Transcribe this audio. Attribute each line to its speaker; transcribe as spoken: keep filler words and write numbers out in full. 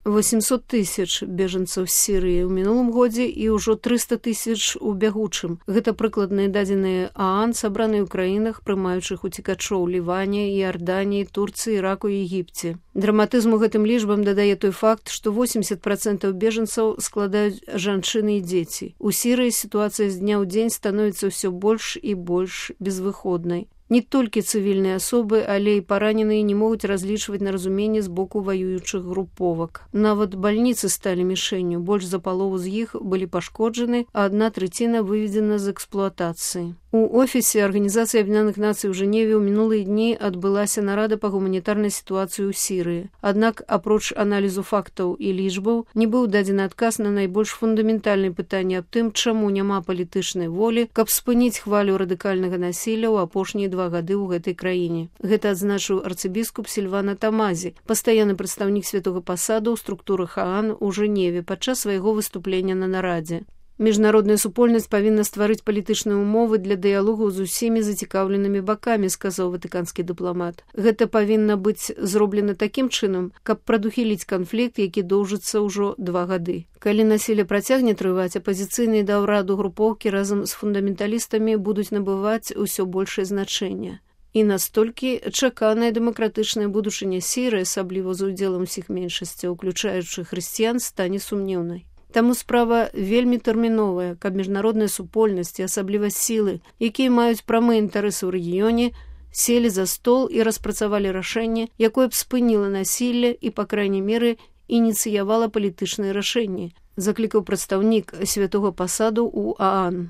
Speaker 1: восемьсот тысяч бежанцаў з Сірыі ў мінулым годзе і ўжо трыста тысяч у бягучым. Гэта прыкладныя дадзеныя ААН, сабраныя ў краінах, прымаючых уцекачоў Ліване, Іорданіі, Турцыі, Іраку і Егіпце. Драматызму гэтым лічбам дадае той факт, што восемьдесят процентаў бежанцаў складаюць жанчыны і дзеці. У Сірыі сітуацыя з дня ў дзень становіцца ўсё больш і больш безвыходнай. Не толькі цывільныя асобы, але і параненыя не могуць разлічваць на разуменне з боку ваюючых груповак. Нават бальніцы сталі мішэнню, больш за палову з іх былі пашкоджаны, а адна трэціна выведзена з эксплуатацыі. У офісе Арганізацыі Аб'яднаных Нацый у Жэневе ў мінулыя дні адбылася нарада па гуманітарнай сітуацыі ў Сірыі. Аднак, апроч аналізу фактаў і лічбаў, не быў дадзены адказ на найбольш фундаментальныя пытанні аб тым, чаму няма палітычнай волі, каб спыніць хвалю радыкальнага насілля ў апошнія два гады ў гэтай краіне. Гэта адзначыў арцыбіскуп Сільвана Тамазі, пастаянны прадстаўнік святога пасаду ў структурах ААН у Жэневе падчас свайго выступлення на нарадзе. Міжнародная супольнасць павінна стварыць палітычныя ўмовы для дыялогу з усімі зацікаўленымі бакамі, сказаў ватыканскі дыпламат. Гэта павінна быць зроблена такім чынам, каб прадухіліць канфлікт, які доўжыцца ўжо два гады. Калі насілле працягне трываць, апазіцыйныя да ўраду групоўкі разам з фундаменталістамі будуць набываць усё большае значэнне. І настолькі чаканая дэмакратычная будучыня Сірыі, асабліва з удзелам усіх меншасцяў, уключаючы хрысціян, стане сумнеўнай. Таму справа вельмі тэрміновая, каб міжнародная супольнасць і асабліва сілы, якія маюць прамыя інтарэсы ў рэгіёне, селі за стол і распрацавалі рашэнне, якое б спыніла насілле і, па крайняй меры, ініцыявала палітычныя рашэнні, заклікаў прадстаўнік святога пасаду ў ААН.